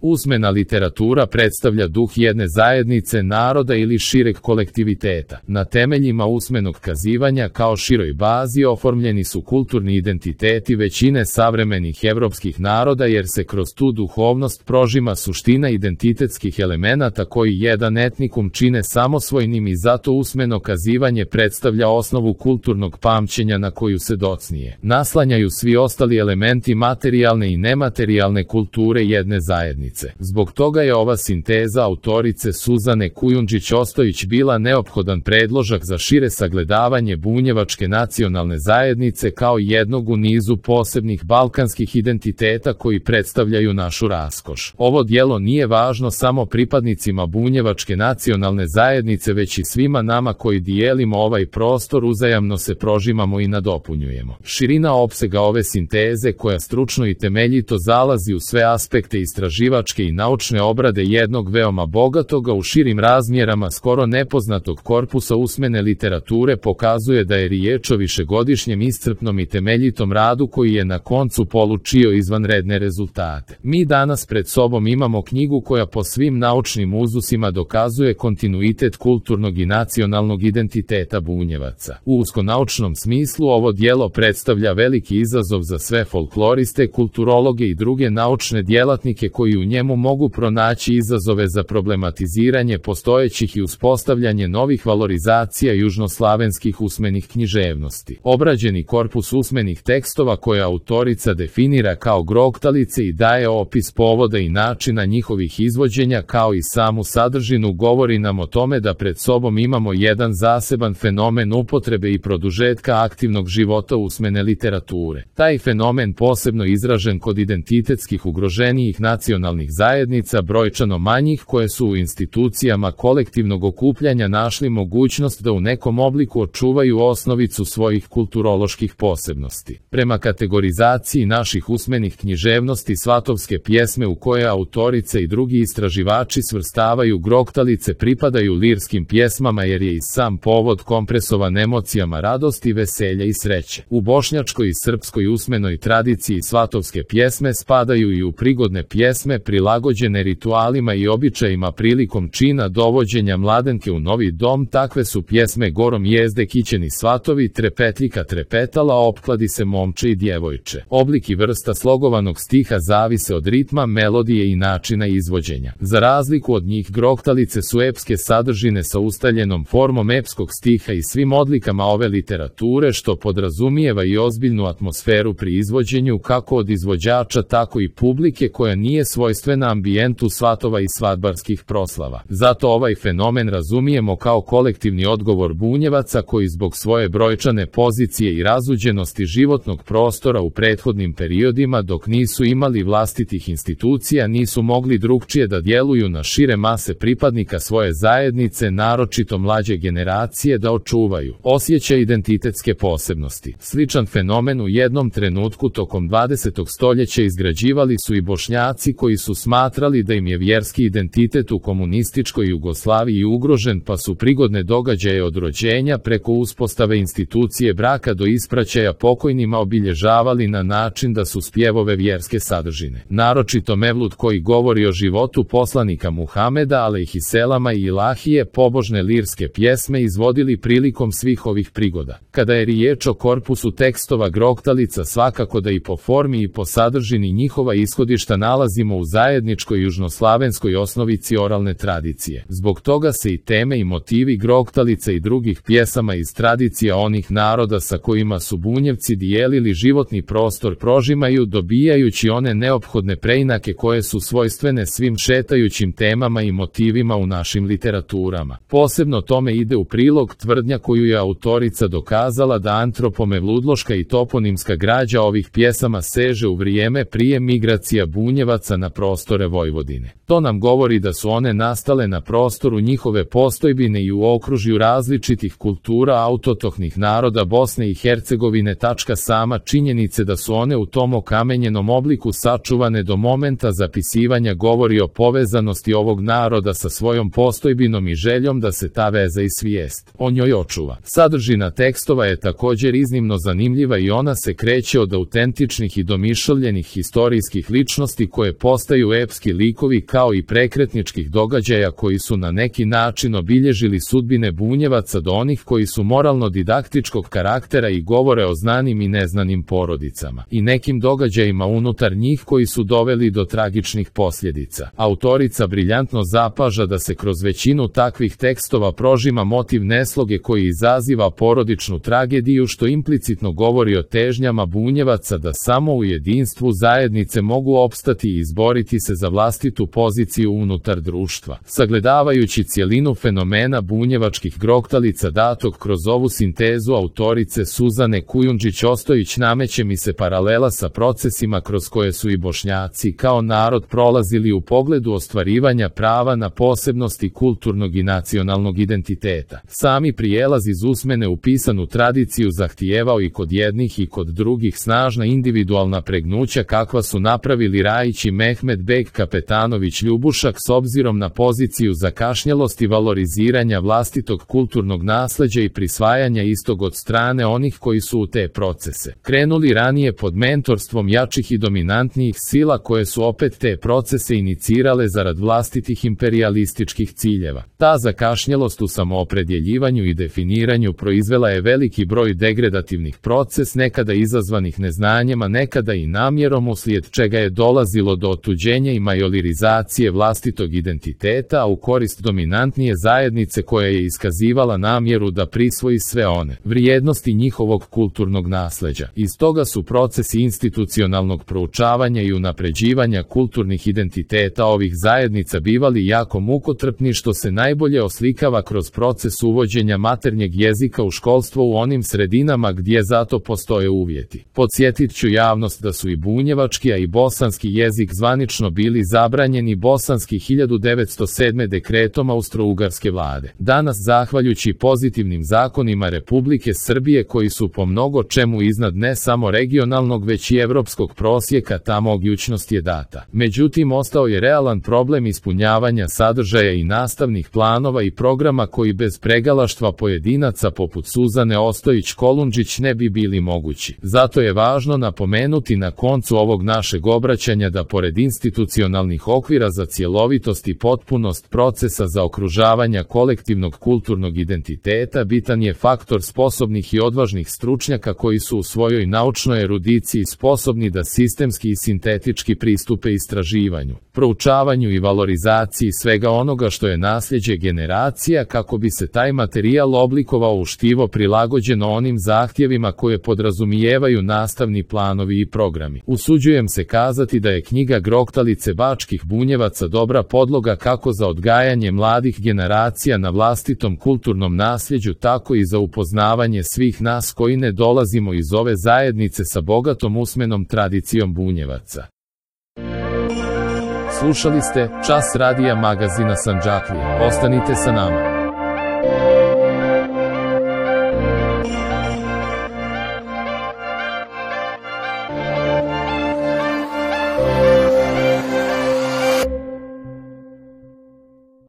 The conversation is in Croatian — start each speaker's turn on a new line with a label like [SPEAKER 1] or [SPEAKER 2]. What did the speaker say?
[SPEAKER 1] Usmena literatura predstavlja duh jedne zajednice, naroda ili šireg kolektiviteta. Na temeljima usmenog kazivanja kao široj bazi oformljeni su kulturni identiteti većine savremenih evropskih naroda jer se kroz tu duhovnost prožima suština identitetskih elemenata koji jedan etnikum čine samosvojnim i zato usmeno kazivanje predstavlja osnovu kulturnog pamćenja na koju se docnije naslanjaju svi ostali elementi materijalne i nematerijalne kulture jedne zajednice. Zbog toga je ova sinteza autorice Suzane Kujundžić-Ostojić bila neophodan predložak za šire sagledavanje bunjevačke nacionalne zajednice kao jednog u nizu posebnih balkanskih identiteta koji predstavljaju našu raskoš. Ovo djelo nije važno samo pripadnicima bunjevačke nacionalne zajednice već i svima nama koji dijelimo ovaj prostor, uzajamno se prožimamo i nadopunjujemo. Širina opsega ove sinteze koja stručno i temeljito zalazi u sve aspekte istraživačke i naučne obrade jednog veoma bogatoga u širim razmjerama skoro nepoznatog korpusa usmene literature pokazuje da je riječ o višegodišnjem iscrpnom i temeljitom radu koji je na koncu polučio izvanredne rezultate. Mi danas pred sobom imamo knjigu koja po svim naučnim uzusima dokazuje kontinuitet kulturnog i nacionalnog identiteta Bunjevaca. U uskonaučnom smislu ovo djelo predstavlja veliki izazov za sve folkloriste, kulturologe i druge naučne djelatnike koji u njemu mogu pronaći izazove za problematiziranje postojećih i uspostavljanje novih valorizacija južnoslavenskih usmenih književnosti. Obrađeni korpus usmenih tekstova koje autorica definira kao groktalice i daje opis povoda i načina njihovih izvođenja kao i samu sadržinu govori nam o tome da pred sobom imamo jedan zaseban fenomen upotrebe i produžetka aktivnog života usmene literature. Taj fenomen posebno izražen kod identitetskih ugroženijih nacionalnih zajednica brojčano manjih koje su u institucijama kolektivnog okupljanja našli mogućnost da u nekom obliku očuvaju osnovicu svojih kulturoloških posebnosti. Prema kategorizaciji naših usmenih književnosti svatovske pjesme u koje autorice i drugi istraživači svrstavaju groktalice pripadaju lirskim pjesmama jer je i sam povod kompresovan emocijama radosti, veselja i sreće. U bošnjačkoj i srpskoj usmenoj tradiciji svatovske pjesme spadaju i u prigodne pjesme prilagođene ritualima i običajima prilikom čina dovođenja mladenke u novi dom. Takve su pjesme Gorom jezde kićeni svatovi, Trepetljika trepetala, opkladi se momče i djevojče. Oblik i vrsta slogovanog stiha zavise od ritma, melodije i načina izvođenja. Za razliku od njih groktalice su epske sadržine sa ustaljenom formom epskog stiha i svim odlikama ove literature što podrazumijeva i ozbiljnu atmosferu pri izvođenju kako od izvođača tako i publike koja nije svojstvena ambijentu svatova i svadbarskih proslava. Zato ovaj fenomen razumijemo kao kolektivni odgovor Bunjevaca koji zbog svoje brojčane pozicije i razuđenosti životnog prostora u prethodnim periodima dok nisu imali vlastitih institucija nisu mogli drugčije da djeluju na šire mase pripadnika svoje zajednice, naročito mlađe generacije, da očuvaju osjećaj identitetske posebnosti. Sličan fenomen u jednom trenutku tokom 20. stoljeća izgrađivali su i Bošnjaci koji su smatrali da im je vjerski identitet u komunističkoj Jugoslaviji ugrožen pa su prigodne događaje od rođenja preko uspostave institucije braka do ispraćaja pokojnima obilježavali na način da su spjevove vjerske sadržine. Naročito Mevlud koji govori o životu poslanika Muhameda alejhiselama i ilahije pobožne lirske pjesme izvodili prilikom svih ovih prigoda. Kada je riječ o korpusu tekstova groktalica svakako da i po formi i po sadržini njihova ishodišta nalazimo u zajedničkoj južnoslavenskoj osnovici oralne tradicije. Zbog toga se i teme i motivi groktalica i drugih pjesama iz tradicija onih naroda sa kojima su Bunjevci dijelili životni prostor prožimaju dobijajući one neophodne preinake koje su svojstvene svim šetajućim temama i motivima u našim literaturama. Posebno tome ide u prilog tvrdnja koju je autorica dokazala da antropomevludloška i toponimska građa ovih pjesama seže u vrijeme prije migracija Bunjevaca na prostore Vojvodine. To nam govori da su one nastale na prostoru njihove postojbine i u okružju različitih kultura autotohnih naroda Bosne i Hercegovine. Sama činjenice da su one u tom okamenjenom obliku sačuvane do momenta zapisivanja govori o povezanosti ovog naroda sa svojom postojbinom i željom da se ta veza i svijest o njoj očuva. Sadržina tekstova je također iznimno zanimljiva i ona se kreće od autentičnih i domišljenih historijskih ličnosti koje postavljaju postaju epski likovi kao i prekretničkih događaja koji su na neki način obilježili sudbine Bunjevaca do onih koji su moralno-didaktičkog karaktera i govore o znanim i neznanim porodicama i nekim događajima unutar njih koji su doveli do tragičnih posljedica. Autorica briljantno zapaža da se kroz većinu takvih tekstova prožima motiv nesloge koji izaziva porodičnu tragediju, što implicitno govori o težnjama Bunjevaca da samo u jedinstvu zajednice mogu opstati i izboriti se za vlastitu poziciju unutar društva. Sagledavajući cjelinu fenomena bunjevačkih groktalica datog kroz ovu sintezu autorice Suzane Kujundžić-Ostojić, nameće mi se paralela sa procesima kroz koje su i Bošnjaci kao narod prolazili u pogledu ostvarivanja prava na posebnosti kulturnog i nacionalnog identiteta. Sami prijelaz iz usmene u pisanu tradiciju zahtijevao i kod jednih i kod drugih snažna individualna pregnuća kakva su napravili Rajić i Mehmed Beg Kapetanović Ljubušak s obzirom na poziciju zakašnjelosti valoriziranja vlastitog kulturnog nasleđa i prisvajanja istog od strane onih koji su u te procese krenuli ranije pod mentorstvom jačih i dominantnijih sila koje su opet te procese inicirale zarad vlastitih imperialističkih ciljeva. Ta zakašnjelost u samoopredjeljivanju i definiranju proizvela je veliki broj degradativnih proces, nekada izazvanih neznanjem, a nekada i namjerom, uslijed čega je dolazilo do otuđenja i majoritizacije vlastitog identiteta, a u korist dominantnije zajednice koja je iskazivala namjeru da prisvoji sve one vrijednosti njihovog kulturnog nasleđa. Iz toga su procesi institucionalnog proučavanja i unapređivanja kulturnih identiteta ovih zajednica bivali jako mukotrpni, što se najbolje oslikava kroz proces uvođenja maternjeg jezika u školstvo u onim sredinama gdje zato postoje uvjeti. Podsjetit ću javnost da su i bunjevački, a i bosanski jezik zvanično bili zabranjeni bosanski 1907. dekretom Austro-Ugarske vlade. Danas, zahvaljujući pozitivnim zakonima Republike Srbije koji su po mnogo čemu iznad ne samo regionalnog već i evropskog prosjeka, ta mogućnost je data. Međutim, ostao je realan problem ispunjavanja sadržaja i nastavnih planova i programa koji bez pregalaštva pojedinaca poput Suzane Ostojić-Kolundžić ne bi bili mogući. Zato je važno napomenuti na koncu ovog našeg obraćanja da pored institucionalnih okvira za cjelovitost i potpunost procesa zaokružavanja kolektivnog kulturnog identiteta bitan je faktor sposobnih i odvažnih stručnjaka koji su u svojoj naučnoj erudiciji sposobni da sistemski i sintetički pristupe istraživanju, proučavanju i valorizaciji svega onoga što je nasljeđe generacija kako bi se taj materijal oblikovao u štivo prilagođeno onim zahtjevima koje podrazumijevaju nastavni planovi i programi. Usuđujem se kazati da je knjiga Groktalice bačkih Bunjevaca dobra podloga kako za odgajanje mladih generacija na vlastitom kulturnom nasljeđu, tako i za upoznavanje svih nas koji ne dolazimo iz ove zajednice sa bogatom usmenom tradicijom Bunjevaca. Slušali ste Čas radija magazina Sandžaklija. Ostanite sa nama.